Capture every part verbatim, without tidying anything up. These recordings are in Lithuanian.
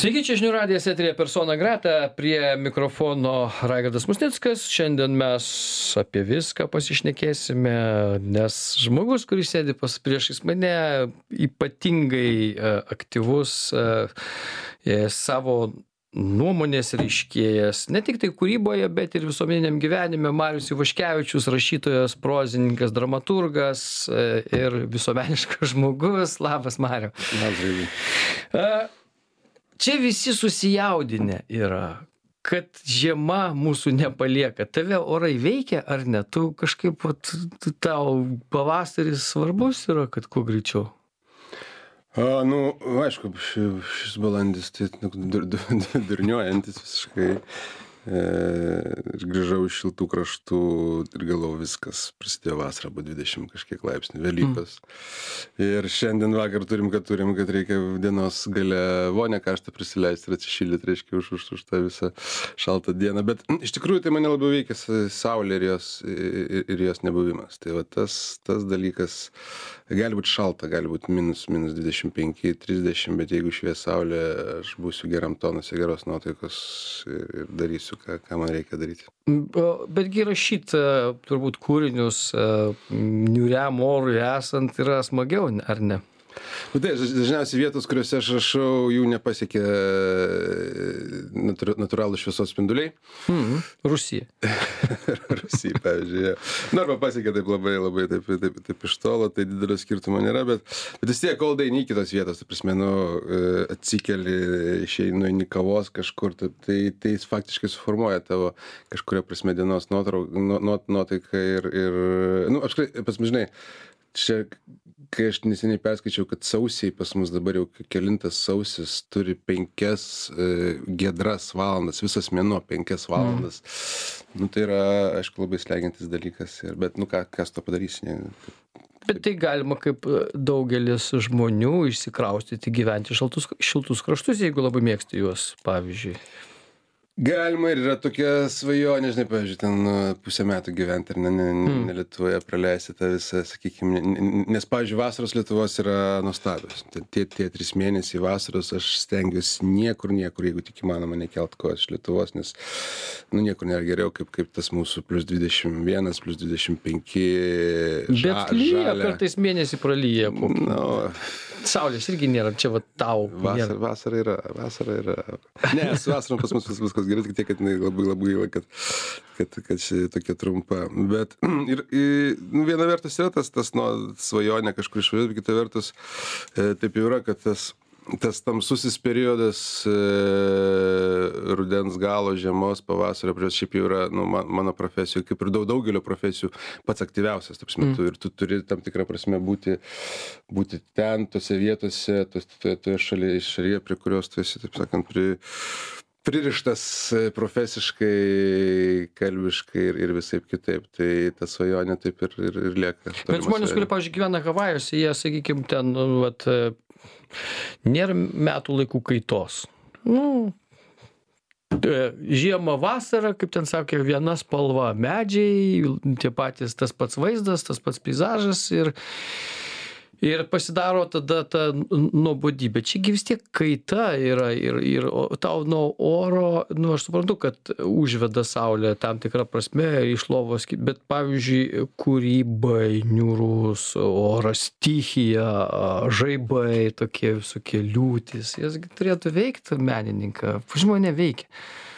Sveiki, čia žinių radijas eteryje Persona Grata, prie mikrofono Raigardas Musnickas. Šiandien mes apie viską pasišnekėsime, nes žmogus, kuris sėdi pas priešais mane, ypatingai e, aktyvus e, e, savo nuomonės reiškėjas, ne tik tai kūryboje, bet ir visuomeniniam gyvenime. Marius Ivaškevičius, rašytojas, prozininkas, dramaturgas e, ir visuomeniškas žmogus. Labas, Mariau. Labas. Čia visi susijaudinę yra, kad žiema mūsų nepalieka. Tave orai veikia ar ne? Tu kažkaip, vat, tau pavasaris svarbus yra, kad kuo greičiau? A, nu, aišku, šis, šis balandis tai nu, dur, dur, durniuojantis visiškai. E, ir grįžau iš šiltų kraštų ir galvojau, viskas, prasidėjo vasara, buvo dvidešimt kažkiek laipsnių, Velykos. Mm. Ir šiandien vakar turim, kad turim, kad reikia dienos gale vonę karštą prisileisti ir atsišildyti, reiškia, už, už, už tą visą šaltą dieną. Bet iš tikrųjų tai mane labiau veikia saulė ir jos, ir, ir jos nebuvimas. Tai va tas, tas dalykas, gali būti šalta, gali būti minus, minus dvidešimt penki, trisdešimt, bet jeigu švies saulė, aš būsiu geram tonuse, geros nuotaikos ir, ir darysiu Ką, ką man reikia daryti. Betgi rašyti turbūt kūrinius niūriam orui esant yra smagiau, ar ne? Bet tai, dažniausiai vietos, kuriuose aš rašau, jų nepasiekia natūralų šviesos spinduliai. Mm, Rusija. Rusija, pavyzdžiui. Ja. Nu, arba pasiekia taip labai, labai taip, taip, taip iš tolo, tai didelio skirtumo nėra, bet, bet vis tiek, kol daini kitos vietos, tai prasme, nu, atsikeli, išeinu į kavos kažkur, tai, tai, tai jis faktiškai suformuoja tavo kažkuria prasme dienos nuotaiką ir, ir, nu, apskritai, pas mus, žinai, čia, kai aš neseniai perskaičiau, kad sausiai pas mus dabar jau kelintas sausis turi penkias e, giedras valandas, visas mėnuo penkias valandas. Mm. Nu, tai yra, aišku, labai slegiantis dalykas, ir, bet, nu, ką, kas to padarys? Ne? Bet tai galima kaip daugelis žmonių išsikraustyti, gyventi šaltus, šiltus kraštus, jeigu labai mėgsti juos, pavyzdžiui. Galima ir yra tokia svajonė, žinai, pavyzdžiui, ten pusę metų gyventi ir ne, ne, Mm. ne Lietuvoje praleisti tą visą, sakykime, nes, pavyzdžiui, vasaros Lietuvos yra nuostabios. Tie, tie trys mėnesiai vasaros aš stengiuosi niekur, niekur, jeigu tik įmanoma, nekelt kojos iš Lietuvos, nes, nu, niekur nėra geriau, kaip, kaip tas mūsų plus dvidešimt vienas, plus dvidešimt penki ža, Bet lyja, žalia. kartais mėnesį pralyja. Nu, Saulės irgi nėra, čia va tau. vasara, vasara yra, vasara yra. Ne, su vasarom pas mus vis- viskas gerai, tik tiek, kad jinai labai labai gaila, kad, kad, kad ši tokia trumpa. Bet ir, ir nu, viena vertus yra tas, tas nu, svajonė kažkur išvažiuoti, bet kita vertus e, taip jau yra, kad tas, tas tamsusis periodas e, rudens galo, žiemos, pavasario, prieš šiaip jau yra nu, man, mano profesijų, kaip ir daug daugelio profesijų, pats aktyviausias, taip metu. Mm. Ir tu turi tam tikrą prasme būti, būti ten, tose vietose, tos, toje, toje šalyje, šalyje, prie kurios tu esi, taip sakant, pri, pririštas profesiškai, kalbiškai ir, ir visaip kitaip. Tai ta svajonė taip ir, ir, ir lieka. Bet žmonės, kurie, pavyzdžiui, gyvena Havajuose, jie, sakykime, ten, nu, vat, e, nėra metų laikų kaitos. Nu, e, žiemą, vasarą, kaip ten sakė, viena spalva, medžiai, tie patys, tas pats vaizdas, tas pats peizažas ir, ir pasidaro tada ta nuobodybė. Čiagi vis tiek kaita yra ir, ir o tau nuo oro, nu, aš suprantu, kad užveda saulė tam tikrą prasme iš lovos, bet pavyzdžiui, kūrybai, niūrus oras, stichija, žaibai, tokie visokie liūtys, jas gi turėtų veikti menininką. Žmonė veikia.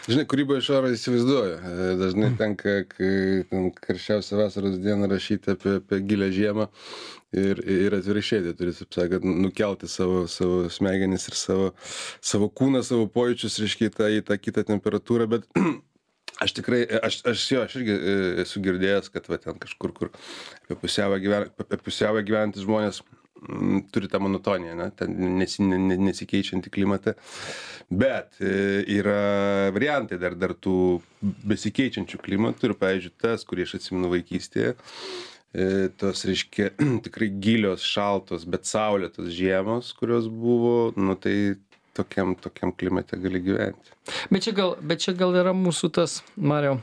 Žinai, kūryba iš oro įsivaizduoju. Dažnai tenka, kai ten karščiausią vasaros dieną rašyti apie, apie gilę žiemą ir, ir atvirkščiai, tai turi, taip sakant, nukelti savo, savo smegenis ir savo, savo kūną, savo pojūčius, reiškia, į tą, į tą kitą temperatūrą, bet aš tikrai, aš, aš jo, aš irgi esu girdėjęs, kad va ten kažkur, kur apie pusiaują gyven, apie pusiaują gyventis žmonės m, turi tą monotoniją, ne, ten nesi, ne, nesikeičiantį klimatą. Bet e, yra variantai dar, dar tų besikeičiančių klimatų ir, pavyzdžiui, tas, kurį aš atsimenu vaikystėje, e, tos, reiškia, tikrai gilios, šaltos, bet saulėtos žiemos, kurios buvo, nu tai tokiam, tokiam klimate gali gyventi. Bet čia gal, bet čia gal yra mūsų tas, Mariau,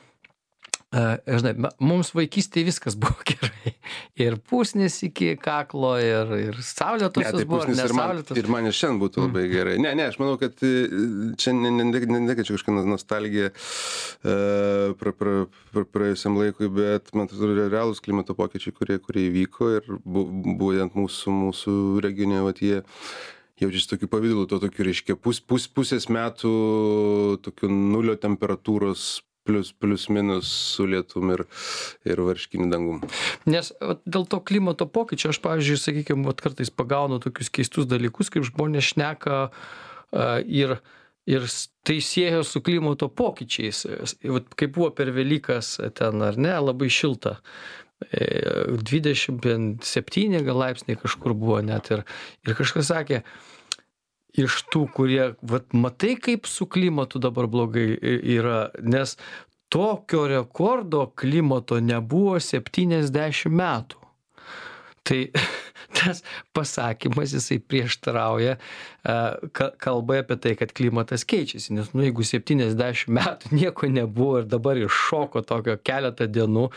Žinai, mums vaikystėje viskas buvo gerai. Ir pusnis iki kaklo, ir, ir saulėtosios ne, tai buvo, ir nesaulėtosios. Ir man ir šiandien būtų labai mm. gerai. Ne, ne, aš manau, kad čia ne, ne, ne, ne, ne čia kažkokia nostalgija uh, pra, pra, pra, praėjusiam laikui, bet man atrodo realūs klimato pokyčiai, kurie, kurie įvyko ir būtent mūsų, mūsų regione, vat, jie jaučiasi tokiu pavydalu, to tokiu, reiškia, pus, pus, pusės metų tokiu nulio temperatūros plius, plius minus su lietum ir, ir varškiniu dangum. Nes vat, dėl to klimato pokyčio aš, pavyzdžiui, sakykime, vat, kartais pagaunu tokius keistus dalykus, kaip žmonės šneka uh, ir, ir tai siejo su klimato pokyčiais. Vat, kaip buvo per Velykas ten, ar ne, labai šilta. dvidešimt septyni gal laipsniai kažkur buvo net ir, ir kažkas sakė, iš tų, kurie, vat, matai, kaip su klimatu dabar blogai yra, nes tokio rekordo klimato nebuvo septyniasdešimt metų. Tai tas pasakymas, jisai prieštarauja kalbai apie tai, kad klimatas keičiasi, nes, nu, jeigu septyniasdešimt metų nieko nebuvo ir dabar iššoko tokio keletą dienų,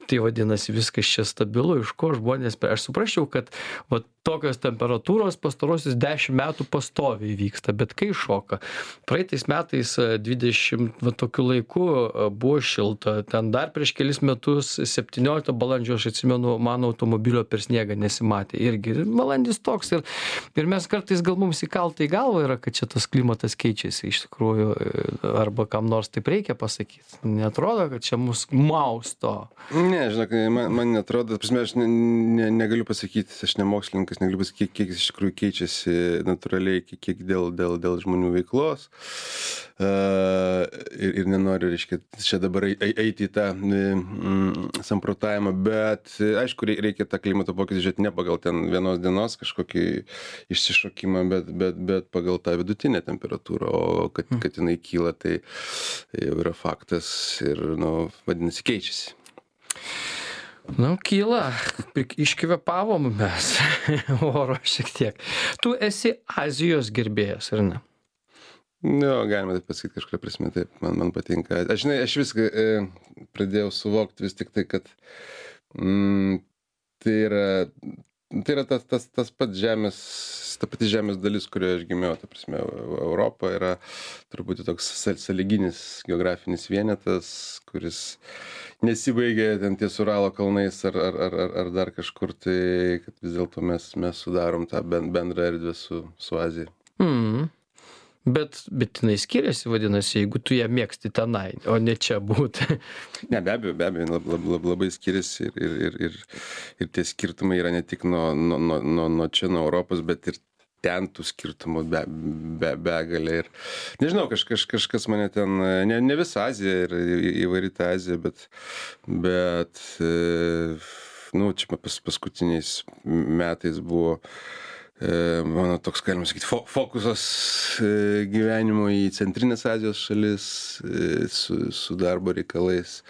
tai vadinasi viskas čia stabilu, iš ko žmonės, aš suprasčiau, kad va, tokios temperatūros pastarosius dešimt metų pastoviai vyksta, bet kai šoka. Praeitais metais dvidešimt va, tokiu laiku buvo šilta, ten dar prieš kelis metus, septynioliktą balandžio, aš atsimenu, mano automobilio per sniegą nesimatė. Irgi balandis toks ir, ir mes kartais gal mums įkalta į galvą yra, kad čia tas klimatas keičiasi iš tikrųjų, arba kam nors taip reikia pasakyti. Neatrodo, kad čia mus mausto. Ne, žinok, man, man netrodo, prasme, aš ne, ne, negaliu pasakyti, aš ne mokslininkas, negaliu pasakyti, kiek jis iš tikrųjų keičiasi natūraliai, kiek, kiek dėl, dėl, dėl žmonių veiklos. Uh, ir, ir nenoriu, reiškia, čia dabar eiti į tą mm, samprotavimą, bet aišku, reikia tą klimato pokytį žiūrėti ne pagal ten vienos dienos kažkokį išsišokimą, bet, bet, bet pagal tą vidutinę temperatūrą, o kad, kad jinai kyla, tai jau yra faktas ir, nu, vadinasi, keičiasi. Nu, kyla, iškvepavom mes oro šiek tiek. Tu esi Azijos gerbėjas, ar ne? Nu, galima taip pasakyti kažkuria prasme, taip, man, man patinka. Aš, žinai, aš viską e, pradėjau suvokti vis tik tai, kad mm, tai yra, tai yra tas, tas, tas pats žemės, ta pati žemės dalis, kurioje aš gimiau, ta prasme, Europa yra turbūt toks sąlyginis geografinis vienetas, kuris nesibaigia ten ties Uralo kalnais ar, ar, ar, ar dar kažkur, tai kad vis dėlto mes, mes sudarom tą bendrą erdvę su, su Azija. Mm. Bet, bet jinai skiriasi, vadinasi, jeigu tu ją mėgsti tenai, o ne čia būti. Ne, be abejo, be abejo, lab, lab, lab, labai skiriasi ir, ir, ir, ir tie skirtumai yra ne tik nuo, nuo, nuo, nuo čia, nuo Europos, bet ir ten tų skirtumų be, be, begalė. Ir nežinau, kaž, kaž, kažkas mane ten, ne, ne visa Azija ir įvairi ta Azija, bet, bet nu, čia pas, paskutiniais metais buvo mano toks, galima sakyti, fokusas gyvenimo į Centrinės Azijos šalis su, su darbo reikalais.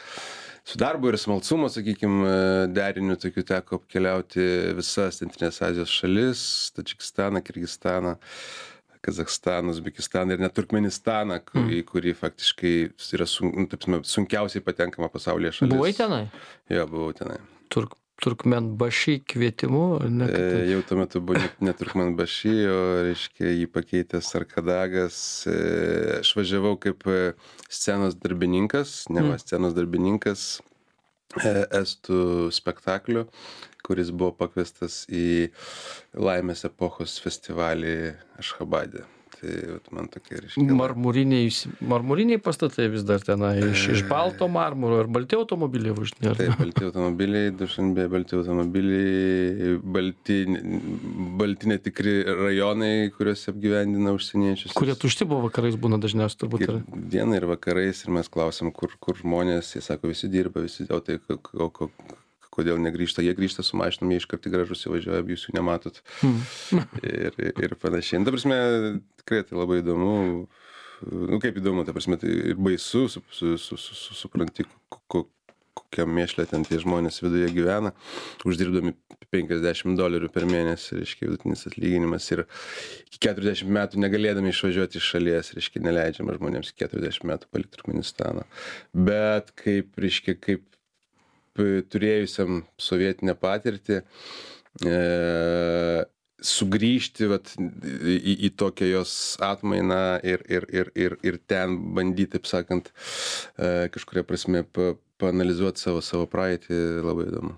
Su darbo ir smalsumo, sakykime, deriniu tokiu teko apkeliauti visas Centrinės Azijos šalis, Tadžikistaną, Kirgistaną, Kazachstaną, Uzbekistaną ir net Turkmenistaną, kurį, kurį faktiškai yra sun, nu, taip, sunkiausiai patenkama pasaulyje šalis. Buvai tenai? Jo, buvau tenai. Turk. Turkmenbaši kvietimu? Ne, e, jau tuo metu buvo ne, ne Turkmenbaši, o, reiškia, jį pakeitęs Arkadagas. E, aš važiavau kaip scenos darbininkas, ne va, scenos darbininkas e, estų spektaklio, kuris buvo pakviestas į Laimės epochos festivalį Ašchabade. Tai vat, man tokie reiškia. Marmuriniai, marmuriniai pastatai vis dar tenai, iš, iš balto marmuro ir balti automobiliai važinėja. Taip, balti automobiliai, Dušanbė, balti automobiliai, balti, balti netikri rajonai, kuriuose apgyvendina užsieniečius. Kurie tušti buvo vakarais būna dažniausiai turbūt. Ir dieną ir vakarais ir mes klausim, kur, kur žmonės, jie sako, visi dirba, visi, o tai ko, ko, ko, kodėl negrįžta, jie grįžta su mašinom, jie iškart į garažus įvažiuoja, jūs jų nematot. Hmm. ir, ir panašiai. Ta prasme, tikrai tai labai įdomu, nu kaip įdomu, ta prasme, tai ir baisu, su, su, su, su, supranti, kokiam mėšle ten tie žmonės viduje gyvena, uždirbdami penkiasdešimt dolerių per mėnesį, reiškia, vidutinis atlyginimas ir iki keturiasdešimt metų negalėdami išvažiuoti iš šalies, reiškia, neleidžiama žmonėms iki keturiasdešimt metų palikti Turkmenistaną. Bet kaip, reiškia, kaip turėjusiam sovietinę patirtį, e, sugrįžti vat, į, į tokią jos atmainą ir, ir, ir, ir, ir ten bandyti, taip sakant, e, kažkuria prasme pa, paanalizuoti savo, savo praeitį, labai įdomu.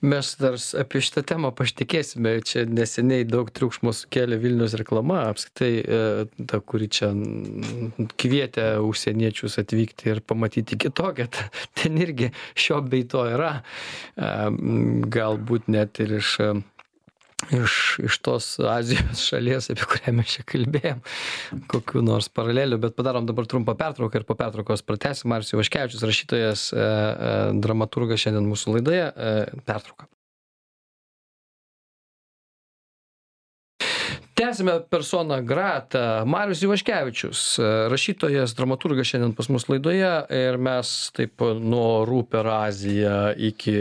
Mes dar apie šitą temą pašnekėsime. Čia neseniai daug triukšmo sukėlė Vilniaus reklama, apskritai ta, kuri čia kvietė užsieniečius atvykti ir pamatyti kitokią. Ten irgi šio bei to yra. Galbūt net ir iš iš, iš tos Azijos šalies, apie kurią mes čia kalbėjom, kokių nors paralelių, bet padarom dabar trumpą pertrauką ir po pertraukos pratęsim. Marius Ivaškevičius, rašytojas, e, e, dramaturgas šiandien mūsų laidoje. E, pertrauka. Tęsime persona grata. Marius Ivaškevičius, rašytojas, dramaturgas šiandien pas mus laidoje ir mes taip nuo Orų per Aziją iki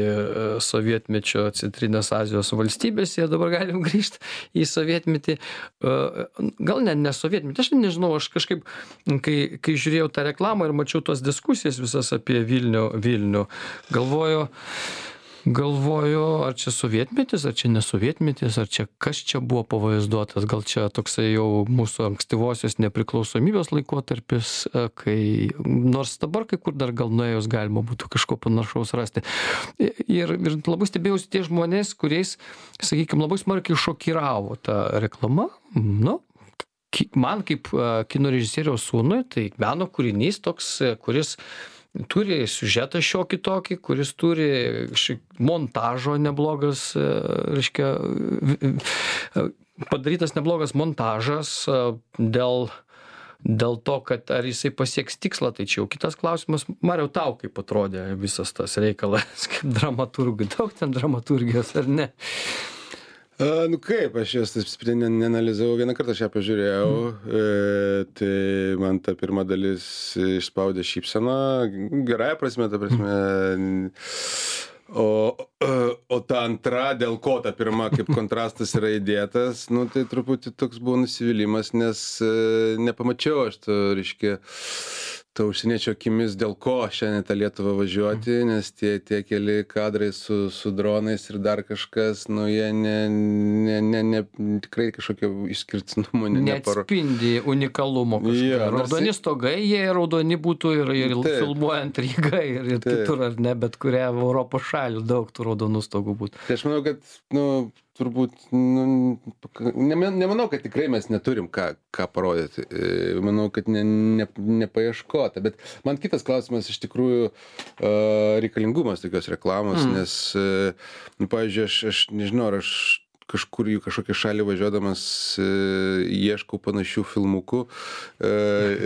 sovietmečio Centrinės Azijos valstybėse dabar galim grįžti į sovietmetį. Gal ne, ne sovietmetį, aš nežinau, aš kažkaip, kai, kai žiūrėjau tą reklamą ir mačiau tos diskusijas visas apie Vilnių, Vilnių, galvoju, Galvoju, ar čia sovietmetis, ar čia nesovietmetis, ar čia kas čia buvo pavaizduotas, gal čia toksai jau mūsų ankstyvosios nepriklausomybės laikotarpis, kai nors dabar kai kur dar gal nuėjus galima būtų kažko panašaus rasti. Ir, ir labai stebėjausi tie žmonės, kuriais, sakykime, labai smarkiai šokiravo ta reklama. Nu, man kaip kino režisieriaus sūnui, tai meno kūrinys toks, kuris turi siužetą šiokį tokį, kuris turi montažo neblogas, reiškia, padarytas neblogas montažas dėl, dėl to, kad ar jisai pasieks tikslą, tai čia jau kitas klausimas. Mariau, tau kaip atrodė visas tas reikalas, kaip dramaturgui, daug ten dramaturgijos ar ne? A, nu kaip, aš jos taip neanalizavau, vieną kartą aš ją pažiūrėjau, mm. e, tai man ta pirma dalis išspaudė šypseną, gerąją prasme, ta prasme, o, o ta antra, dėl ko ta pirma, kaip kontrastas yra įdėtas, nu tai truputį toks buvo nusivylimas, nes e, nepamačiau aš to, reiškia, to užsieniečio akimis, dėl ko šiandien tą Lietuvą važiuoti, nes tie, tie keli kadrai su, su dronais ir dar kažkas, nu jie ne, ne, ne, ne, tikrai kažkokio išskirtinumo ne, neatspindi unikalumo kažką. Ja, raudoni stogai, jie raudoni būtų ir, ir filmuojant Rygą ir, ir kitur, ar ne, bet kurią Europos šalių daug tų raudonų stogų būtų. Tai aš manau, kad, nu, turbūt, nu, nemanau, kad tikrai mes neturim ką, ką parodyti. Manau, kad ne, ne, nepaieškota. Bet man kitas klausimas iš tikrųjų reikalingumas tokios reklamos, mm. nes, nu, pavyzdžiui, aš, aš nežinau, ar aš kažkur į kažkokią šalį važiuodamas e, ieškau panašių filmukų e,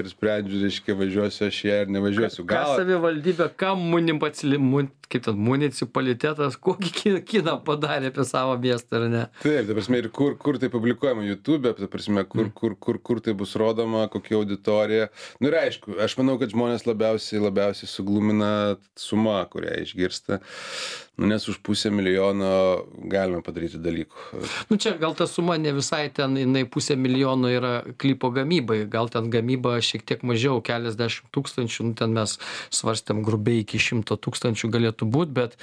ir sprendžiu, reiškia, važiuosiu aš ją ar nevažiuosiu. Gal... Ką savivaldybė, kam municipalitetas, kaip ten, municipalitetas, kokį kiną padarė apie savo miestą, ar ne? Taip, ta prasme, ir kur, kur tai publikuojama YouTube, ta prasme, kur, mm. kur, kur, kur tai bus rodoma, kokia auditorija. Nu ir aišku, aš manau, kad žmonės labiausiai, labiausiai suglumina suma, kurią išgirsta. Nu, nes už pusę milijono galime padaryti dalykų. Nu čia gal ta suma ne visai ten, jinai pusė milijono yra klipo gamybai, gal ten gamyba šiek tiek mažiau, keliasdešimt tūkstančių, nu ten mes svarstėm grubiai iki šimto tūkstančių galėtų būti, bet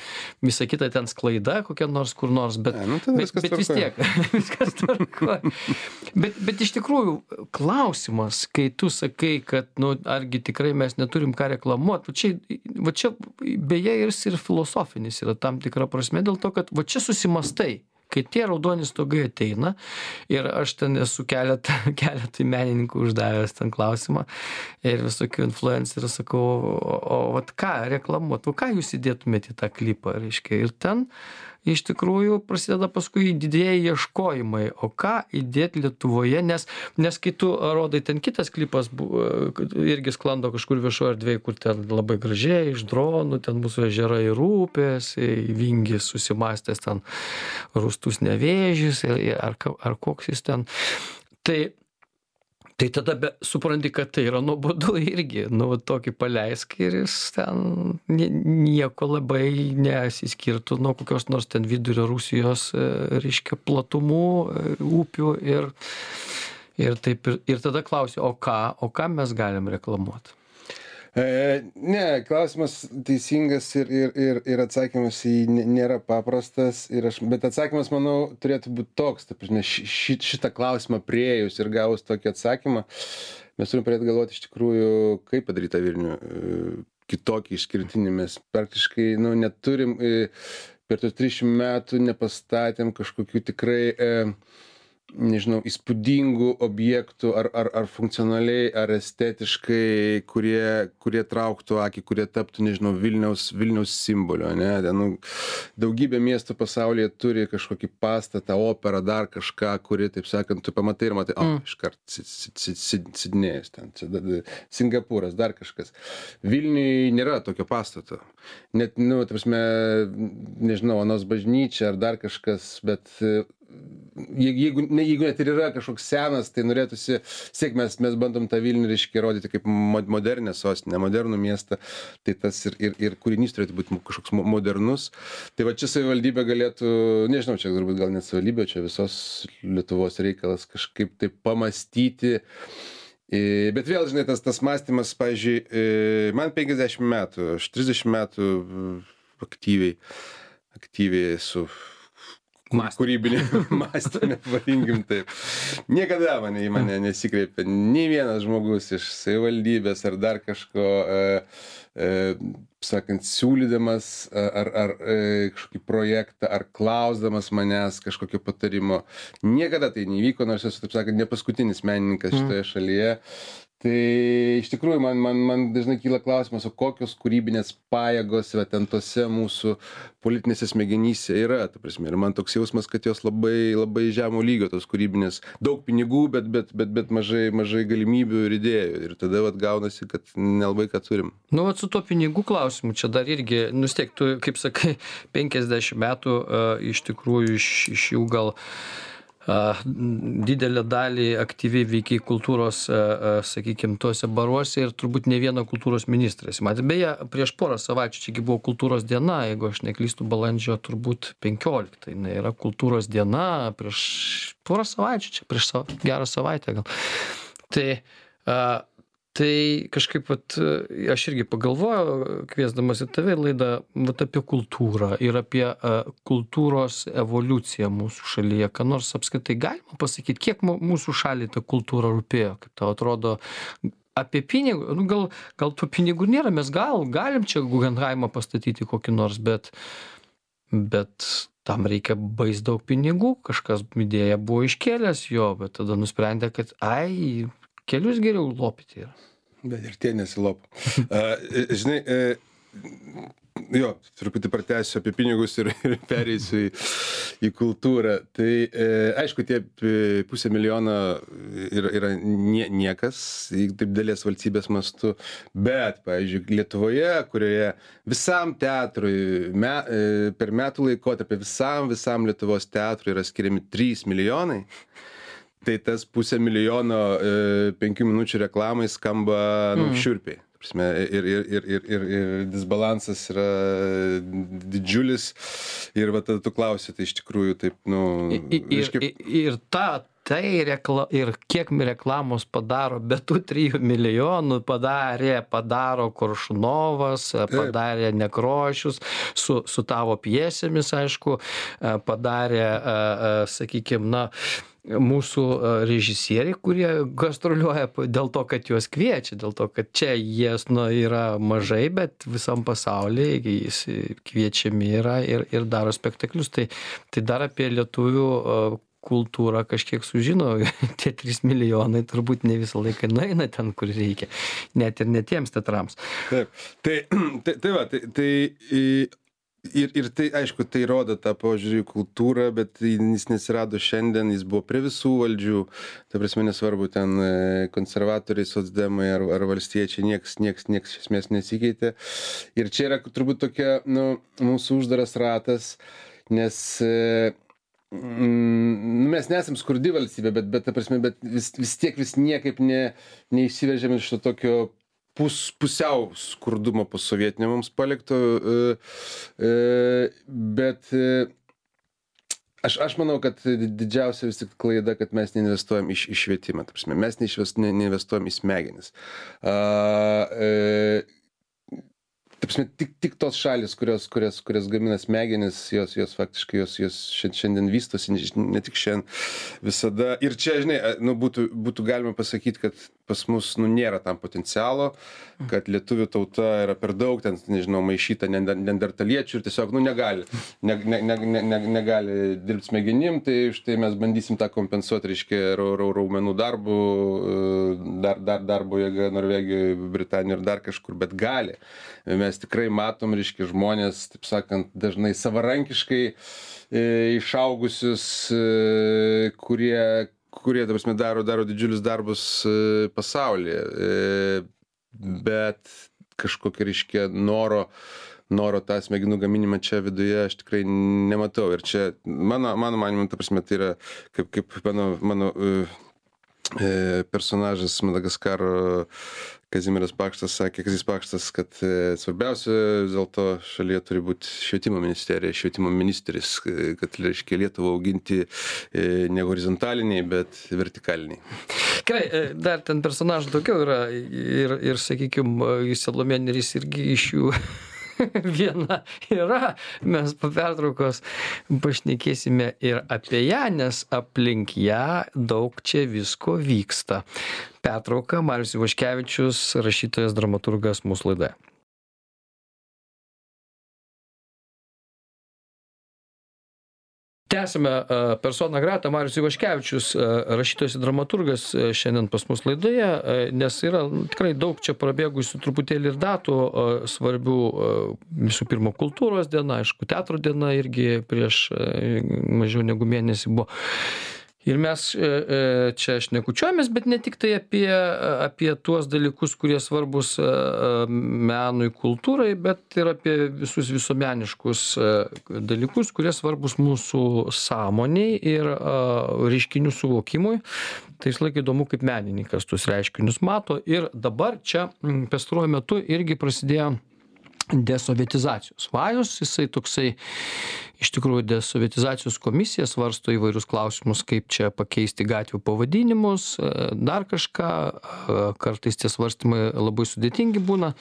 visa kita ten sklaida kokia nors kur nors, bet, ne, nu, bet, bet vis tiek, viskas tvarkoja. Bet, bet iš tikrųjų klausimas, kai tu sakai, kad, nu, argi tikrai mes neturim ką reklamuoti, va čia, va čia beje ir, ir filosofinis yra tam tikra prasme, dėl to, kad va čia susimastai, kai tie raudoni stogai ateina ir aš ten esu keletą, keletą menininkų uždavęs ten klausimą ir visokių influencerių sakau, o, o vat ką reklamuot, o ką jūs įdėtumėte į tą klipą, reiškia, ir ten iš tikrųjų prasideda paskui didieji ieškojimai, o ką įdėti Lietuvoje, nes, nes kai tu rodai ten kitas klipas, irgi sklando kažkur viešoje erdvėje, kur ten labai gražiai iš dronų, ten mūsų ežerai ir upės, Vingis susimastęs ten Rūstus Nevėžis, ar, ar koks jis ten. Tai Tai tada be, supranti, kad tai yra nuobodu irgi, nu, va, tokį paleisk ir jis ten nieko labai nesiskirtų nuo kokios nors ten vidurio Rusijos, reiškia, platumų, upių ir, ir taip, ir, ir tada klausiu, o ką, o ką mes galim reklamuoti? E, ne, klausimas teisingas ir, ir, ir, ir atsakymas į nėra paprastas, ir aš, bet atsakymas, manau, turėtų būti toks, ta prasme, ši, šitą klausimą priėjus ir gavus tokį atsakymą, mes turim pradėti galvoti iš tikrųjų, kaip padaryti tą Vilnių kitokį išskirtinį. Mes praktiškai, nu, neturim, per tos trisdešimt metų nepastatėm kažkokių tikrai e, nežinau, įspūdingų objektų ar, ar, ar funkcionaliai, ar estetiškai, kurie, kurie trauktų akį, kurie taptų, nežinau, Vilniaus, Vilniaus simbolio, ne? Nu, daugybė miestų pasaulyje turi kažkokį pastatą, operą, dar kažką, kuri, taip sakant, tu pamatai ir matai, o, mm. iškart Sidnėjus ten, Singapūras, dar kažkas. Vilniui nėra tokio pastato. Net, nu, ta prasme, nežinau, Onos bažnyčia ar dar kažkas, bet jeigu, ne, jeigu net ir yra kažkoks senas, tai norėtųsi, siek mes, mes bandom tą Vilnių, reiškia, rodyti kaip modernę sostinę, modernų miestą, tai tas ir, ir, ir kūrinys turėtų būti kažkoks modernus. Tai va čia savivaldybė galėtų, nežinau, čia turbūt gal net savivaldybė, čia visos Lietuvos reikalas kažkaip tai pamastyti. Bet vėl, žinai, tas, tas mąstymas, pavyzdžiui, man penkiasdešimt metų, aš trisdešimt metų aktyviai, aktyviai esu kūrybinė mąstymė, vadinkim taip. Niekada mane į mane nesikreipia nei vienas žmogus iš savivaldybės ar dar kažko, e, e, sakant, siūlydamas ar, ar e, kažkokį projektą, ar klausdamas manęs kažkokio patarimo. Niekada tai nevyko, nors esu, taip sakant, ne paskutinis menininkas šitoje šalyje. Tai iš tikrųjų man, man, man dažnai kyla klausimas, o kokios kūrybinės pajėgos yra ten tose mūsų politinėse smegenyse yra, ta prasme. Ir man toks jausmas, kad jos labai, labai žemo lygio, tos kūrybinės, daug pinigų, bet, bet, bet, bet mažai, mažai galimybių ir idėjų. Ir tada vat gaunasi, kad nelabai ką turim. Nu, vat su to pinigų klausimu, čia dar irgi, nu, tiek, tu, kaip sakai, penkiasdešimt metų uh, iš tikrųjų iš, iš jų gal Uh, didelę dalį aktyviai veikiai kultūros, uh, uh, sakykime, tuose baruose ir turbūt ne vieno kultūros ministras. Matė, beje, prieš porą savaičių, čiagi buvo kultūros diena, jeigu aš neklystu, balandžio turbūt penkioliktą. Tai yra kultūros diena prieš porą savaičių, čia prieš savo, gerą savaitę gal. Tai uh, Tai kažkaip, vat, aš irgi pagalvojau, kviesdamas į tave laidą, vat, apie kultūrą ir apie uh, kultūros evoliuciją mūsų šalyje. Ką nors apskritai galima pasakyti, kiek mūsų šaliai ta kultūra rūpėjo, kaip tau atrodo, apie pinigų, nu, gal, gal tų pinigų nėra, mes gal galim čia Guggenheimą pastatyti kokį nors, bet, bet tam reikia bais daug pinigų, kažkas idėja buvo iškėlęs jo, bet tada nusprendė, kad ai, kelius geriau lopyti yra. Bet ir tie nesilopo. uh, žinai, uh, jo, truputį pratęsiu apie pinigus ir, ir pereisiu į, į kultūrą. Tai e, aišku, tie pusę milijono yra, yra nie, niekas, taip dalies valstybės mastu, bet, pavyzdžiui, Lietuvoje, kurioje visam teatrui me, e, per metų laikotarpį visam, visam Lietuvos teatrui yra skiriami trys milijonai, tai tas pusę milijono e, penkių minučių reklamai skamba nu, mm. šiurpiai. Ir, ir, ir, ir, ir, ir disbalansas yra didžiulis. Ir va tada tu klausi, tai iš tikrųjų taip, nu... Ir, reiškia... ir, ir ta, tai rekla, ir kiek reklamos padaro, be tų trijų milijonų padarė, padaro Koršunovas, taip. Padarė Nekrošius, su, su tavo pjesėmis, aišku, padarė, sakykime, na... mūsų režisieriai, kurie gastroliuoja dėl to, kad juos kviečia, dėl to, kad čia jie nu, yra mažai, bet visam pasaulyje jis kviečiami yra ir, ir daro spektaklius. Tai, tai dar apie lietuvių kultūrą kažkiek sužino, tie trys milijonai turbūt ne visą laiką nueina ten, kur reikia, net ir ne tiems teatrams. Taip, tai, tai, tai va, tai... tai Ir, ir tai, aišku, tai rodo tą požiūrį į kultūrą, bet jis nesirado šiandien, jis buvo prie visų valdžių, ta prasme nesvarbu, ten konservatoriai, socdemai ar, ar valstiečiai, nieks, nieks, nieks iš esmės nesikeitė. Ir čia yra turbūt tokia, nu, mūsų uždaras ratas, nes mm, mes nesam skurdi valstybė, bet, bet, ta prasme, bet vis, vis tiek vis niekaip ne, neišsiveržėm iš to tokio pus, pusiau skurdumo posovietinio mums palikto, e, e, bet e, Aš, aš manau, kad didžiausia vis tik klaida, kad mes neinvestuojam į, į švietimą. Ta prasme, mes neinvestuojam į smegenis. A, e, ta prasme, tik, tik tos šalis, kurios, kurios, kurios gamina smegenis, jos, jos faktiškai jos, jos šiandien vystosi, ne tik šiandien visada. Ir čia, žinai, nu, būtų, būtų galima pasakyti, kad pas mus nu, nėra tam potencialo, kad lietuvių tauta yra per daug, ten, nežinau, maišyta neandertaliečių ir tiesiog, nu, negali, ne, ne, ne, ne, negali dirbti smegenim, tai štai mes bandysim tą kompensuoti, reiškia, raumenų darbų, dar, dar darbo jėga Norvegijoje, Britanijoje ir dar kažkur, bet gali. Mes tikrai matom, reiškia, žmonės, taip sakant, dažnai savarankiškai e, išaugusius, e, kurie kurie, ta prasme, daro, daro didžiulius darbus e, pasaulyje, e, bet kažkokio, reiškia, noro, noro tą smegenų gaminimą čia viduje aš tikrai nematau. Ir čia, mano, mano manimu, ta prasme, tai yra, kaip, kaip mano, mano e, personažas Madagaskaro Kazimieras Pakštas sakė, Kazys Pakštas, kad e, svarbiausia vis dėlto šalyje turi būti švietimo ministerija, švietimo ministris, kad, reiškia, Lietuvą auginti e, ne horizontaliniai, bet vertikaliniai. Gerai, dar ten personažų daugiau yra ir, ir sakykime, Salomėja Nėris irgi iš jų viena yra. Mes po pertraukos pašnekėsime ir apie ją, nes aplink ją daug čia visko vyksta. Pertrauka, Marius Ivaškevičius, rašytojas, dramaturgas mūsų laidoje. Tęsime persona grata, Marius Ivaškevičius, rašytojas ir dramaturgas šiandien pas mus laidoje, nes yra tikrai daug čia prabėgusių truputėlį ir datų svarbių, visų pirma, kultūros diena, aišku, teatro diena irgi prieš mažiau negu mėnesį buvo. Ir mes čia šnekučiuojamės, bet ne tik tai apie, apie tuos dalykus, kurie svarbus menui, kultūrai, bet ir apie visus visuomeniškus dalykus, kurie svarbus mūsų sąmoniai ir reiškinių suvokimui. Tai vis laik įdomu, kaip menininkas tuos reiškinius mato. Ir dabar čia pastaruoju metu irgi prasidėjo desovietizacijos vajus, jisai toksai, iš tikrųjų, desovietizacijos komisija svarsto įvairius klausimus, kaip čia pakeisti gatvių pavadinimus, dar kažką, kartais tie svarstymai labai sudėtingi būna.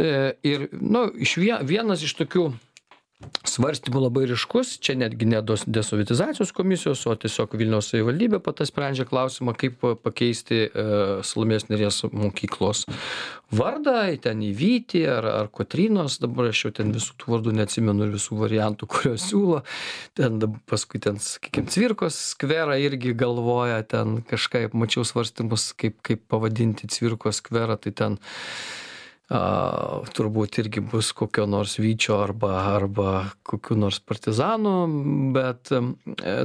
Ir, nu, iš vienas iš tokių svarstymų labai ryškus, čia netgi ne desovietizacijos komisijos, o tiesiog Vilniaus savivaldybė pati sprendžia klausimą, kaip pakeisti Salomėjos Nėries mokyklos vardą, ten į Vytį ar, ar Kotrynos, dabar aš jau ten visų tų vardų neatsimenu ir visų variantų, kuriuos siūlo. Ten paskui ten, sakykime, Cvirkos skverą irgi galvoja, ten kažkaip mačiau svarstymus, kaip, kaip pavadinti Cvirkos skverą, tai ten A, turbūt irgi bus kokio nors Vyčio arba, arba kokių nors partizanų, bet e,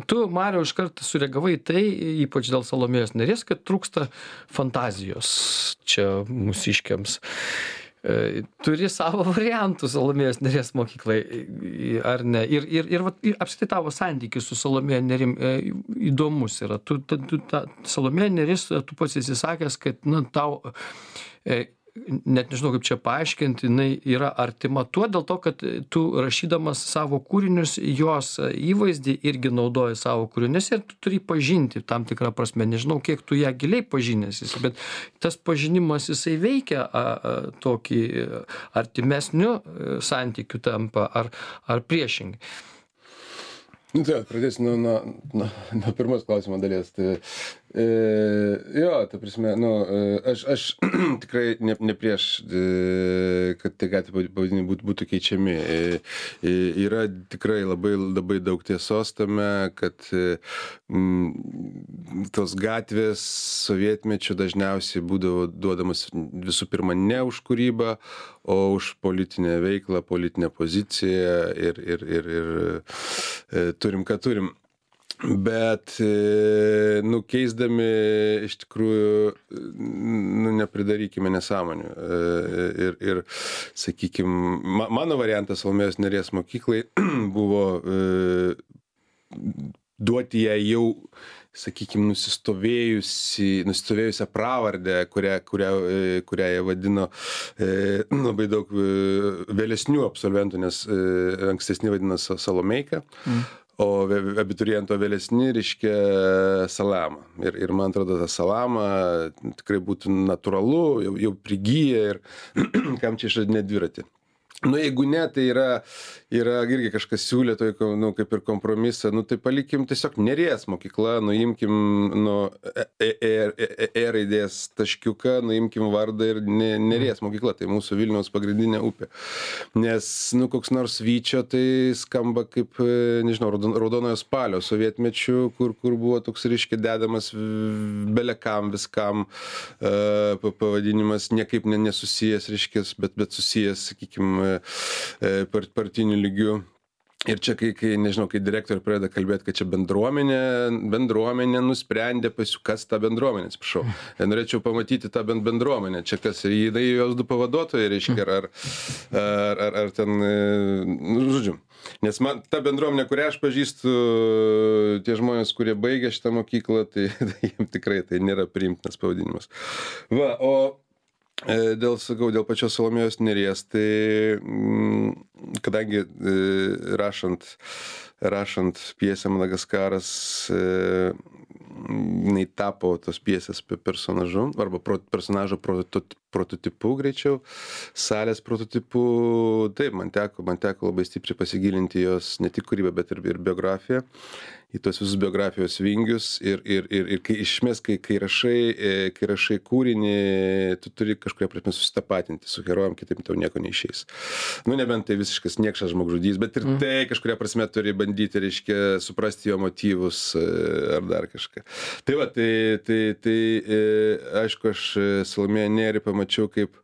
tu, Mariau, iškart sureagavai tai, ypač dėl Salomėjos Nėries, kad trūksta fantazijos čia mūsiškiams. E, turi savo variantų Salomėjos Nėries mokyklai, ar ne? Ir, ir, ir, ir apskritai tavo santykis su Salomėja Nėrim e, įdomus yra. Tu, tu, tu, ta, Salomėja Nėris, tu pats esi sakęs, kad nu, tau... E, net nežinau, kaip čia paaiškinti, jinai yra artima tuo, dėl to, kad tu rašydamas savo kūrinius, jos įvaizdį irgi naudoji savo kūrinius ir tu turi pažinti tam tikrą prasme. Nežinau, kiek tu ją giliai pažinęs, bet tas pažinimas jisai veikia a, a, tokį artimesnių santykių tampa ar, ar priešingai. Nu, tai pradėsiu nuo, nuo, nuo, nuo pirmos klausimo dalies. Tai, e, jo, ta prasme, nu, aš, aš tikrai ne, ne prieš, e, kad tie gatvių pavadinimai būtų, būtų keičiami. E, e, yra tikrai labai, labai daug tiesos tame, kad e, m, tos gatvės sovietmečiu dažniausiai būdavo duodamas visų pirma ne už kūrybą, o už politinę veiklą, politinę poziciją ir, ir, ir, ir e, turim, ką turim. Bet, nu, keisdami iš tikrųjų, nu, nepridarykime nesąmonių. Ir, ir sakykime, mano variantas Salomėjos Nėries mokyklai buvo duoti ją jau, sakykime, nusistovėjusi, nusistovėjusią pravardę, kurią, kurią, kurią jie vadino e, labai daug vėlesnių absolventų, nes e, ankstesni vadino Salomeika, mm. o abituriento vėlesni reiškia Salamą. Ir, ir man atrodo, ta Salama tikrai būtų natūralu, jau, jau prigyja ir kam čia išradinėti dviratį. Nu, jeigu ne, tai yra, yra irgi kažkas siūlė, tai, nu, kaip ir kompromisą, nu, tai palikim tiesiog Neries mokykla, nuimkim nu, e, e, e, e raidės taškiuką, nuimkim vardą ir ne, Neries mokykla, tai mūsų Vilniaus pagrindinė upė. Nes, nu, koks nors Vyčio, tai skamba kaip, nežinau, raudonojo spalio sovietmečių, kur, kur buvo toks, reiškia, dedamas belekam viskam uh, pavadinimas, niekaip nesusijęs, reiškia, bet, bet susijęs, sakykime, partinių lygių. Ir čia, kai, kai nežinau, kai direktoriai pradeda kalbėti, kad čia bendruomenė, bendruomenė nusprendė pasiū, kas tą bendruomenę, atsiprašau. Norėčiau pamatyti tą bendruomenę. Čia kas, jinai jos du pavaduotojai, reiškia, ar, ar, ar, ar ten, nu, žodžiu. Nes man ta bendruomenė, kurią aš pažįstu, tie žmonės, kurie baigė šitą mokyklą, tai, tai jiems tikrai tai nėra priimtinas pavadinimas. Va, o Dėl, sakau, dėl pačios Salomėjos Nėries, tai kadangi rašant, rašant pjesę Madagaskaras, jinai tapo tos pjesės personažu, arba pro, personažo prototipu greičiau, salės prototipu, taip, man teko, man teko labai stipriai pasigilinti jos ne tik kūrybą, bet ir, ir biografiją, į tos visus biografijos vingius ir, ir, ir, ir kai išmės, kai, kai, rašai, kai rašai kūrinį, tu turi kažkuria prasme susitapatinti su herojum, kitaip tau nieko neišeis. Nu, nebent tai visiškas niekšas žmogžudys, bet ir mm. tai kažkuria prasme turi bandyti, reiškia, suprasti jo motyvus ar dar kažką. Tai va, tai, tai, tai aišku, aš Salomėją Nėrį pamačiau kaip,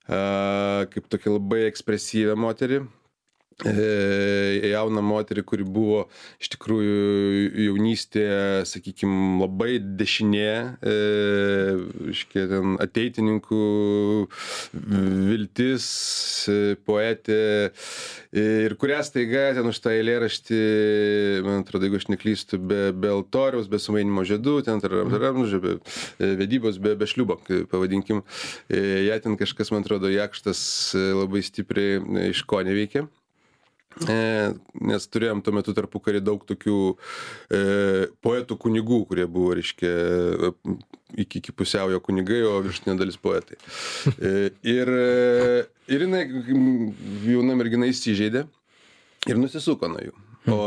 kaip tokia labai ekspresyvę moterį. Jauną moterį, kuri buvo iš tikrųjų jaunystėje, sakykime, labai dešinė, e, iškia, ten, ateitininkų viltis, poetė, ir kurią staiga ten už tą eilėraštį, man atrodo, jeigu aš neklystu, be, be altoriaus, be sumainimo žiedų, ten, be vedybos, be, be šliubo, pavadinkim, ją ten kažkas, man atrodo, Jakštas labai stipriai iš ko neveikė. E, nes turėjom tuo metu tarpukarį daug tokių e, poetų kunigų, kurie buvo, reiškia, iki, iki pusiaujo kunigai, o viršutinė dalis poetai. E, ir, ir jinai, jauna mergina, įsižeidė ir nusisuko nuo jų. O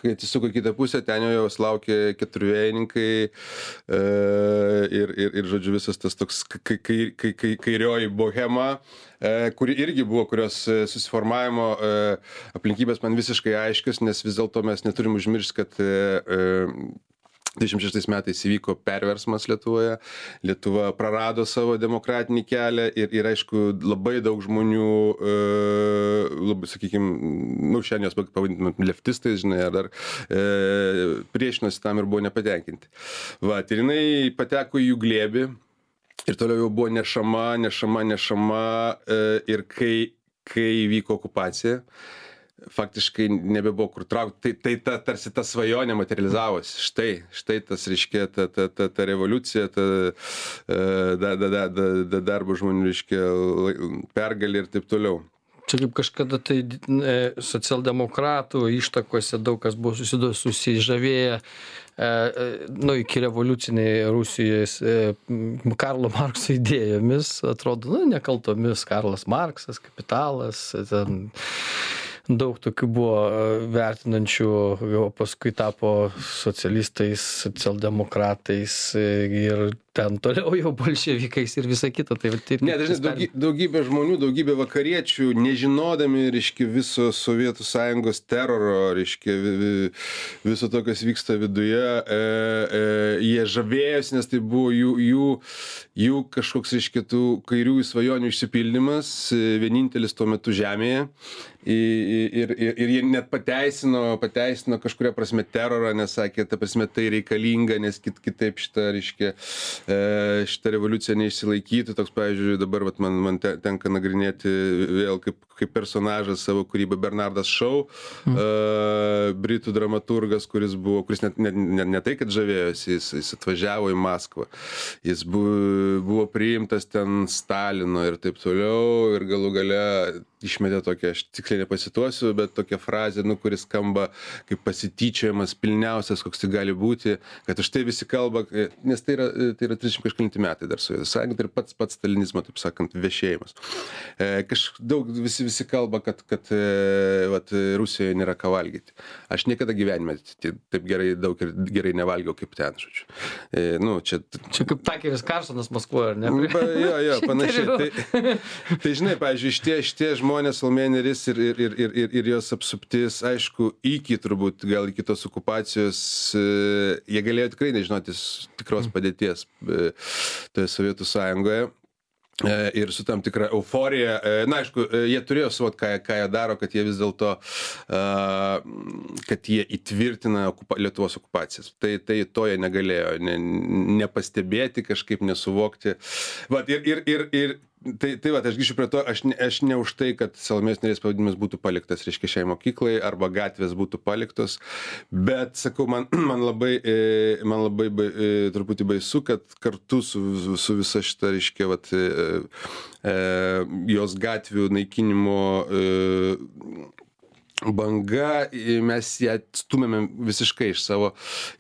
kai atsisuko į kitą pusę, ten jau jos laukė keturvėjininkai e, ir, ir, ir, žodžiu, visas tas toks kai, kai, kai, kai, kairioji bohema, e, kuri irgi buvo, kurios susiformavimo e, aplinkybės man visiškai aiškios, nes vis dėlto mes neturim užmiršti, kad e, dvidešimt šeštais metais įvyko perversmas Lietuvoje, Lietuva prarado savo demokratinį kelią ir, ir aišku, labai daug žmonių, e, labai, sakykime, nu, šiandien jos pavadintume leftistais, žinai, ar dar e, priešinosi tam ir buvo nepatenkinti. Va, ir jinai pateko į jų glėbį ir toliau jau buvo nešama, nešama, nešama e, ir kai, kai įvyko okupacija, faktiškai nebebuvo kur traukti. Tai, tai ta, tarsi ta svajonė materializavosi. Štai, štai tas, reiškia, ta, ta, ta, ta revoliucija, ta da, da, da, da, darbo žmonių, reiškia, pergalė ir taip toliau. Čia kaip kažkada tai e, socialdemokratų ištakose daug kas buvo susido, susižavėję, e, nu, iki revoliuciniai Rusijos e, Karlo Markso idėjomis, atrodo, nu, nekaltomis, Karlas Marksas, Kapitalas, ten daug tokių buvo vertinančių, o paskui tapo socialistais, socialdemokratais ir ten toliau jau bolševikais ir visa kita. Tai, tai, ne, dažnai daugy, daugybė žmonių, daugybė vakariečių, nežinodami, reiškia, viso Sovietų Sąjungos teroro, reiškia, viso to, kas vyksta viduje, e, e, jie žavėjosi, nes tai buvo jų, jų, jų kažkoks, reiškia, tų kairiųjų svajonių išsipildymas, vienintelis tuo metu žemėje. Ir, ir, ir jie net pateisino, pateisino kažkuria prasme terorą, nes sakė, ta prasme tai reikalinga, nes kit, kitaip šitą, reiškia, šitą revoliuciją neišsilaikytų. Toks, pavyzdžiui, dabar vat, man, man tenka nagrinėti vėl kaip, kaip personažas savo kūrybą Bernardas Shaw, mm. uh, britų dramaturgas, kuris buvo, kuris net ne, ne, ne tai, kad žavėjosi, jis, jis atvažiavo į Maskvą. Jis buvo, buvo priimtas ten Stalino ir taip toliau ir galų gale išmetė tokią, aš tiksliai nepasituosiu, bet tokią frazę, nu, kuris skamba kaip pasityčiojimas pilniausias, koks tai gali būti, kad už tai visi kalba, nes tai yra, tai yra trisdešimt kažkelinti metai dar Sovietų Sąjunga, tai ir pats pats stalinizmo, taip sakant, viešėjimas. E, kaž, daug visi, visi kalba, kad, kad e, vat, Rusijoje nėra ką valgyti. Aš niekada gyvenime taip gerai, daug ir gerai nevalgiau kaip ten, žodžiu. E, nu, čia, čia kaip Takeris Karsonas Maskvoje, ar ne? Ba, jo, jo, panašiai. Tai, tai žinai, pavyzdžiui, šitie, šitie žmonės, Salomėja Nėris ir, ir, ir, ir, ir, ir jos apsuptis, aišku, iki turbūt, gal iki tos okupacijos, jie galėjo tikrai nežinoti tikros padėties toje Sovietų Sąjungoje. Ir su tam tikra euforija. Na, aišku, jie turėjo suvokti, ką, ką jie daro, kad jie vis dėlto, kad jie įtvirtina okupa, Lietuvos okupacijas. Tai, tai to jie negalėjo ne, nepastebėti, kažkaip nesuvokti. Vat, ir, ir, ir, ir Tai, tai va, aš grįšiu prie to, aš ne, aš ne už tai, kad Salomėjos Nėries pavadinimas būtų paliktas, reiškia, šiai mokyklai, arba gatvės būtų paliktos, bet, sakau, man, man labai, man labai truputį baisu, kad kartu su, su visa šita, reiškia, vat, jos gatvių naikinimo banga, mes ją stumėme visiškai iš savo,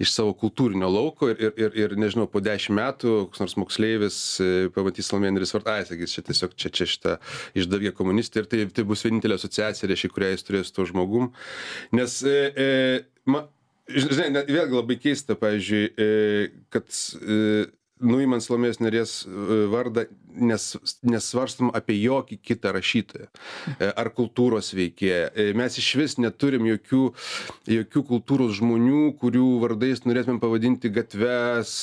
iš savo kultūrinio lauko ir, ir, ir nežinau, po dešimt metų koks nors moksleivis pamatys Salomėją Nėries vardą, ai, sakys, čia tiesiog čia, čia šitą išdavė komunistė ir tai, tai bus vienintelė asociacija, reiškia, kurią jis turės su tuo žmogum. Nes, e, e, ma, žinai, vėlgi labai keista, pavyzdžiui, e, kad e, nuimant Salomėjos Nėries vardą, nes, nesvarstom apie jokį kitą rašytoją ar kultūros veikėją. Mes iš vis neturim jokių, jokių kultūros žmonių, kurių vardais norėtumėm pavadinti gatves,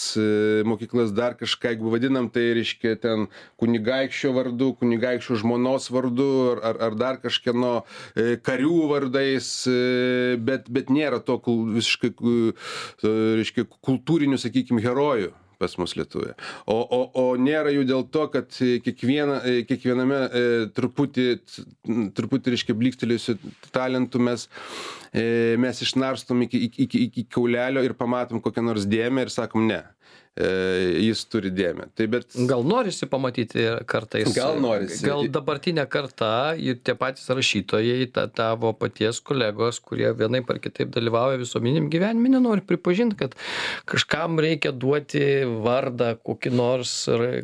mokyklas, dar kažką, jeigu vadinam, tai reiškia ten kunigaikščio vardu, kunigaikščio žmonos vardu ar, ar, ar dar kažkieno karių vardais, bet, bet nėra to visiškai, reiškia, kultūrinių, sakykime, herojų pas mus Lietuvoje. O, o, o nėra jų dėl to, kad kiekviena, kiekviename e, truputį, truputį, reiškia, blykstelėjusių talentų mes, e, mes išnarstom iki, iki, iki, iki kaulelio ir pamatom kokią nors dėmę ir sakom ne. E, jis turi dėmę. Tai bet... Gal norisi pamatyti kartais. Gal norisi. Gal dabartinė karta ir tie patys rašytojai, ta, tavo paties kolegos, kurie vienaip ar kitaip dalyvauja visuomeniniam gyvenime, nenori pripažinti, kad kažkam reikia duoti vardą kokį nors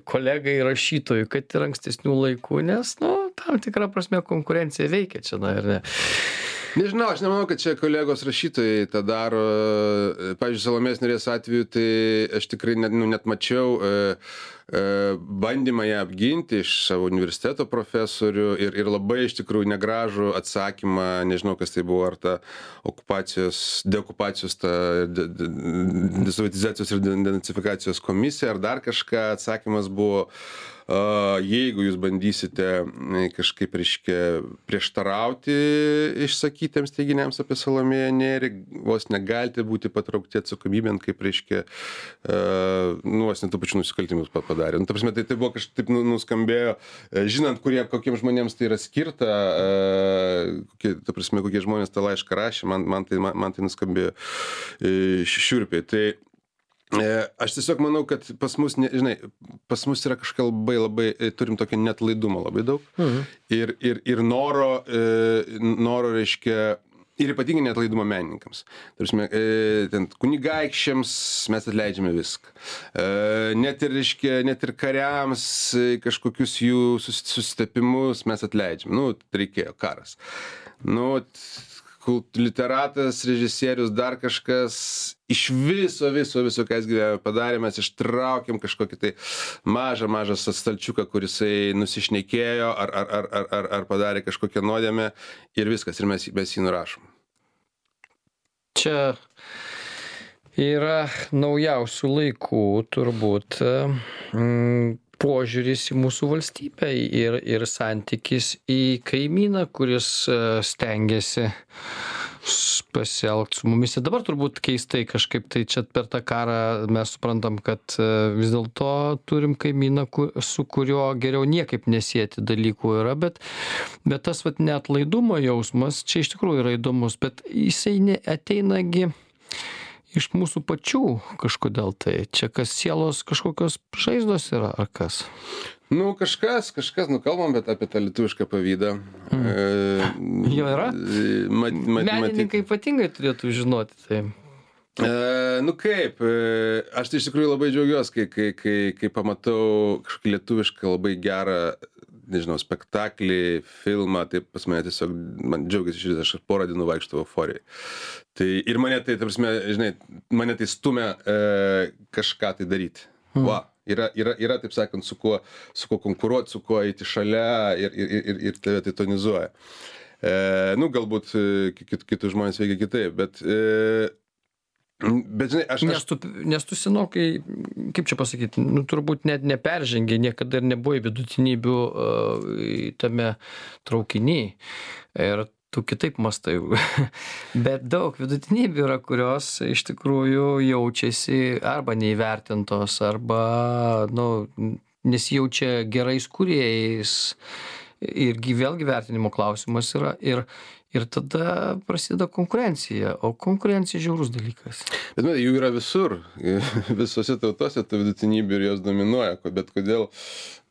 kolegai rašytojui, kad ir ankstesnių laikų, nes, nu, tam tikrą prasme konkurencija veikia čia, na ir ne. Nežinau, aš nemanau, kad čia kolegos rašytojai tą daro. Pavyzdžiui, Salomėjos Nėries atveju, tai aš tikrai net, nu, net mačiau e, e, bandymą ją apginti iš savo universiteto profesorių ir, ir labai iš tikrųjų negražų atsakymą, nežinau, kas tai buvo, ar ta okupacijos, deokupacijos, ta desovietizacijos ir denacifikacijos komisija, ar dar kažką. Atsakymas buvo, jeigu jūs bandysite kažkaip, reiškia, prieštarauti išsakytiems teiginiams apie Salomėją Nėrį, vos negalite būti patraukti atsakomybėn, kaip, reiškia, nu, vos net tų pačių nusikaltimus padarė. Nu, ta prasme, tai, tai buvo kažkaip nuskambėjo, žinant, kurie, kokiems žmonėms tai yra skirta, kokie, ta prasme, kokie žmonės tą laišką rašė, man, man, tai, man, man tai nuskambėjo šiurpiai. Tai aš tiesiog manau, kad pas mus, ne, žinai, pas mus yra kažką labai, labai, turim tokio neatlaidumo labai daug. Mhm. Ir, ir, ir noro, noro, reiškia, ir ypatingai neatlaidumo menininkams. Tarsi, ten kunigaikščiams mes atleidžiame viską. Net ir, reiškia, net ir kariams kažkokius jų susitepimus mes atleidžiame. Nu, reikėjo karas. Nu, literatas, režisierius, dar kažkas, iš viso, viso, viso, ką jis gyvenime padarė, mes ištraukėm kažkokį tai mažą, mažą stalčiuką, kurisai nusišnekėjo ar, ar, ar, ar, ar, ar padarė kažkokią nuodėmę ir viskas, ir mes, mes jį nurašom. Čia yra naujausių laikų turbūt mm, požiūris į mūsų valstybę ir, ir santykis į kaimyną, kuris stengiasi pasielgt su mumis. Ir dabar turbūt keistai kažkaip tai čia per tą karą mes suprantam, kad vis dėlto turim kaimyną, su kuriuo geriau niekaip nesieti dalykų yra, bet, bet tas vat neatlaidumo jausmas čia iš tikrųjų yra įdomus, bet jisai ateinagi iš mūsų pačių kažkodėl tai. Čia kas sielos kažkokios žaizdos yra, ar kas? Nu, kažkas, kažkas, nu kalbam, bet apie tą lietuvišką pavydą. Mm. E, jo yra? Mat, mat, Menininkai ypatingai turėtų žinoti tai. E, nu kaip, e, aš tai iš tikrųjų labai džiaugiuosi, kai, kai, kai, kai pamatau kažkokį lietuvišką labai gerą, nežinau, spektaklį, filmą, tai pas mane tiesiog, man džiaugiasi širdis, aš porą dienų vaikštau euforijai. Tai ir mane tai, ta prasme, žinai, mane tai stumia e, kažką tai daryti. Mm. Va. Yra, yra, yra, taip sakant, su kuo, su kuo konkuruoti, su kuo eiti šalia ir, ir, ir, ir tave tai tonizuoja. E, nu, galbūt kit, kitus žmonės veikia kitaip, bet, e, bet žinai, aš... Nes tu, nes tu senokai, kaip čia pasakyti, nu, turbūt net neperžengi, niekada ir nebuvo vidutinybių uh, tame traukiny. Ir tu kitaip mastai. Bet daug vidutinybių yra, kurios iš tikrųjų jaučiasi arba neįvertintos, arba nu, nesijaučia gerais kūrėjais. Irgi vėlgi vertinimo klausimas yra. Ir, ir tada prasideda konkurencija. O konkurencija žiaurus dalykas. Bet matai, jų yra visur. Visose tautose tų vidutinybių ir jos dominuoja. Bet kodėl,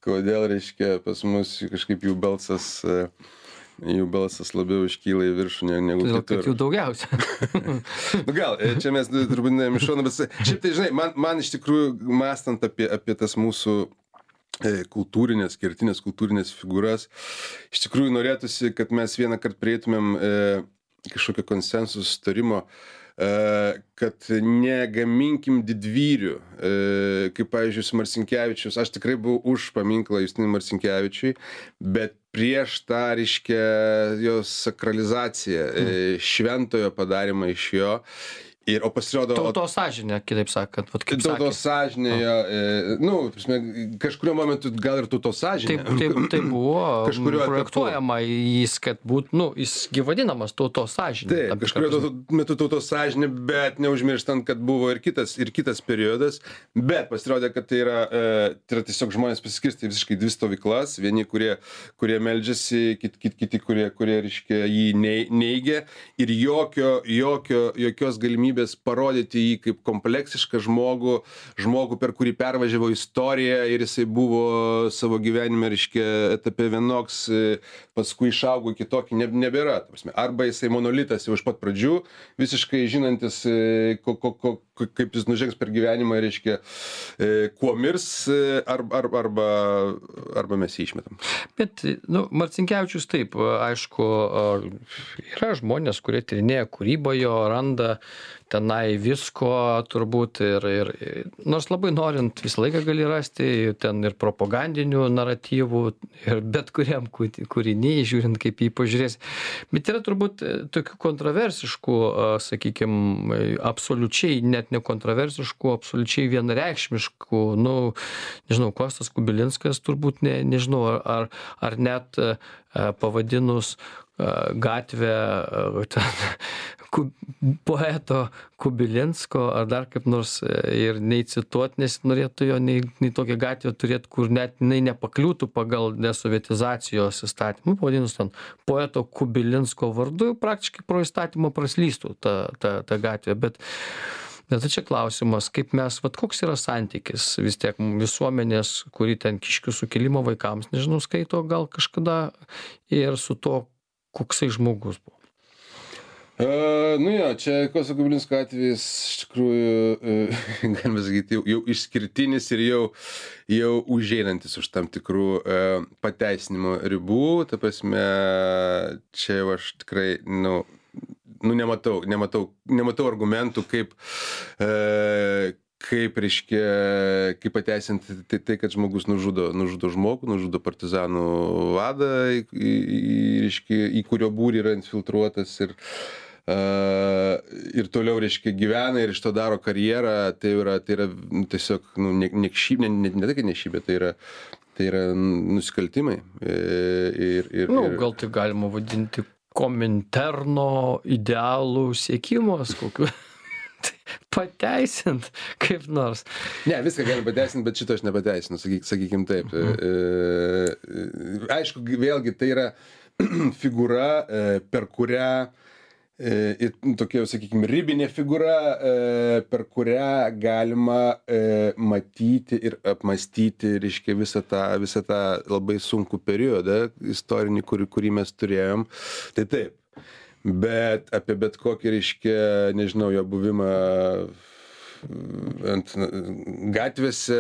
kodėl reiškia, pas mus kažkaip jų balsas... jų balsas labiau iškyla į viršų negu Todėl, kitur. Kad jų daugiausia. Nu gal, čia mes turbūt neėm iš šono, bet šiaip tai, žinai, man, man iš tikrųjų mąstant apie, apie tas mūsų e, kultūrinės, kertinės kultūrinės figūras, iš tikrųjų norėtųsi, kad mes vieną kartą prieitumėm e, kažkokio konsensus sutarimo, e, kad negaminkim didvyrių, e, kaip, pavyzdžiui, Marcinkevičius, aš tikrai buvau už paminklą Justinui Marcinkevičiui, bet prieš tą, reiškia, jos sakralizaciją, mm. šventojo padarymą iš jo. Ir, o pasirodo... Tautos sąžinė, kitaip sakant. Vat, kaip tautos sąžinė, jo, e, nu, prasme, kažkurio momentu gal ir tautos sąžinė. Taip, taip, tai buvo projektuojama jis, kad būt, nu, jis gyvadinamas tautos sąžinė. Taip, kažkurio metu tautos sąžinė, bet neužmirštant, kad buvo ir kitas, ir kitas periodas, bet pasirodė, kad tai yra, e, tai yra tiesiog žmonės pasiskirsti visiškai dvi stovyklas, vieni, kurie, kurie meldžiasi, kiti, kiti, kiti kurie, kurie, reiškia, jį neigia ir jokio, jokio, jokios galimybės parodyti jį kaip kompleksišką žmogų, žmogų, per kurį pervažiavo istoriją ir jisai buvo savo gyvenime, reiškia, etape vienoks, paskui išaugo kitokį, ne, nebėra. Arba jisai monolitas jau iš pat pradžių, visiškai žinantis, ko, ko, ko, kaip jis nužengs per gyvenimą, reiškia, kuo mirs, arba, arba, arba mes jį išmetam. Bet, nu, Marcinkevičius taip, aišku, yra žmonės, kurie tyrinėja kūrybą jo, randa tenai visko turbūt ir, ir nors labai norint visą laiką gali rasti ten ir propagandinių naratyvų ir bet kuriam kūriny, žiūrint kaip jį pažiūrės. Bet yra turbūt tokių kontroversiškų, sakykime, absoliučiai, net nekontroversiškų, absoliučiai vienareikšmiškų, nu, nežinau, Kostas Kubilinskas turbūt, ne, nežinau, ar, ar net pavadinus gatvę ten, poeto Kubilinsko ar dar kaip nors ir nei cituot, nes norėtų jo, nei, nei tokią gatvę turėti, kur net jinai nepakliūtų pagal desovietizacijos įstatymą, pavadinus ten poeto Kubilinsko vardu, praktiškai pro įstatymą praslystų ta, ta, ta gatvė, bet Bet tai čia klausimas, kaip mes, vat koks yra santykis vis tiek visuomenės, kuri ten Kiškių sukilimo vaikams, nežinau, skaito gal kažkada ir su to, koksai žmogus buvo. Uh, nu jo, čia Kosto Kubilinsko atvejis iš tikrųjų, uh, galima sakyti, jau, jau išskirtinis ir jau, jau užeinantis už tam tikrų uh, pateisinimo ribų. Ta prasme, čia jau aš tikrai, nu, nu nematau, nematau, nematau argumentų, kaip, uh, kaip, reiškia, kaip pateisinti tai, tai, kad žmogus nužudo, nužudo žmogų, nužudo partizanų vadą, į, į, reiškia, į kurio būrį yra infiltruotas ir Uh, ir toliau, reiškia, gyvena ir iš to daro karjerą, tai yra, tai yra tiesiog, nu, niekšybė, ne, ne, ne tai, kad niekšybė, tai yra, tai yra nusikaltimai. Ir, ir, nu, ir... gal tai galima vadinti Kominterno idealų siekimas kokiu. Pateisint kaip nors. Ne, viską galim pateisinti, bet šito aš nepateisinu, sakyk, sakykim taip. Mhm. E, aišku, vėlgi tai yra figūra, per kurią, e, tokia, sakykime, ribinė figūra, e, per kurią galima e, matyti ir apmastyti, reiškia, visą tą, visą tą labai sunkų periodą istorinį, kurį, kurį mes turėjom. Tai taip. Bet apie bet kokį, reiškia, nežinau, jo buvimą ant gatvėse,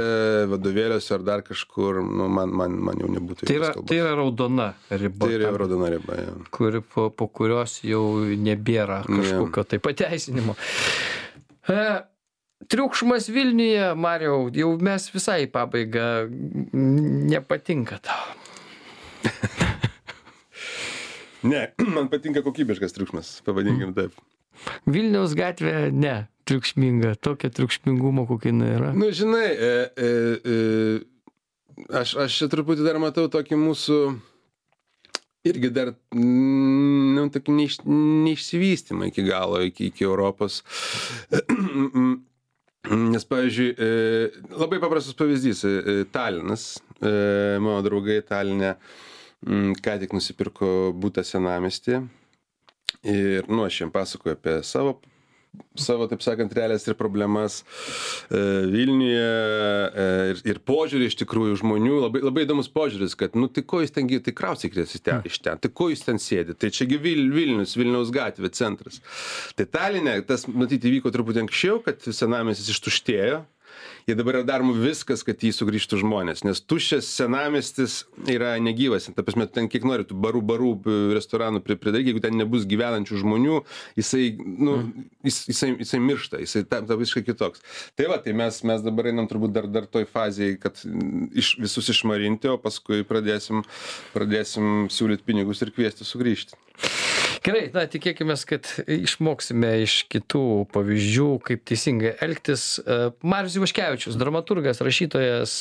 vadovėliuose ar dar kažkur, nu, man, man, man jau nebūtų. Tai yra, tai yra raudona riba. Tai yra raudona riba, ja. Kuri po, po kurios jau nebėra kažkokio tai pateisinimo. E, triukšmas Vilniuje, Mariau, jau mes visai į pabaigą, nepatinka tau. Ne, man patinka kokybiškas triukšmas, pavadinkim taip. Vilniaus gatvė ne triukšminga, tokia triukšmingumo kokia jinai yra. Nu, žinai, e, e, e, aš, aš čia truputį dar matau tokį mūsų, irgi dar, nu, tokį neiš, neišsivystymą iki galo, iki, iki Europos. Nes, pavyzdžiui, e, labai paprastas pavyzdys, e, Talinas, e, mano draugai Taline, ką tik nusipirko butą senamiestyje ir, nu, aš jiem pasakoju apie savo, savo, taip sakant, realijas ir problemas e, Vilniuje e, ir, ir požiūrį iš tikrųjų žmonių, labai, labai įdomus požiūris, kad, nu, tai ko jūs ten, tai kraustykitės ten, iš ten, tai ko jūs ten sėdi, tai čiagi Vil, Vilnius, Vilniaus gatvė, centras. Tai Taline, tas, matyti, įvyko truputį anksčiau, kad senamiestis ištuštėjo. Ir dabar yra daroma viskas, kad jį sugrįžtų žmonės, nes tuščias senamiestis yra negyvas. Ta prasme, ten kiek nori, tų barų, barų, restoranų pridaryti, jeigu ten nebus gyvenančių žmonių, jisai, nu, jis, jisai, jisai miršta, jisai tampa visiškai kitoks. Tai va, tai mes, mes dabar einam turbūt dar, dar toj fazėje, kad iš, visus išmarinti, o paskui pradėsim, pradėsim siūlyti pinigus ir kviesti sugrįžti. Gerai, na, tikėkimės, kad išmoksime iš kitų pavyzdžių, kaip teisingai elgtis. Marius Ivaškevičius, dramaturgas, rašytojas,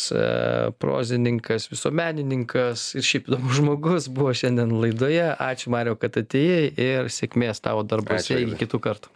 prozininkas, visuomenininkas ir šiaip įdomus žmogus buvo šiandien laidoje. Ačiū, Mariau, kad atėjai ir sėkmės tavo darbuose. Iki kitų kartų.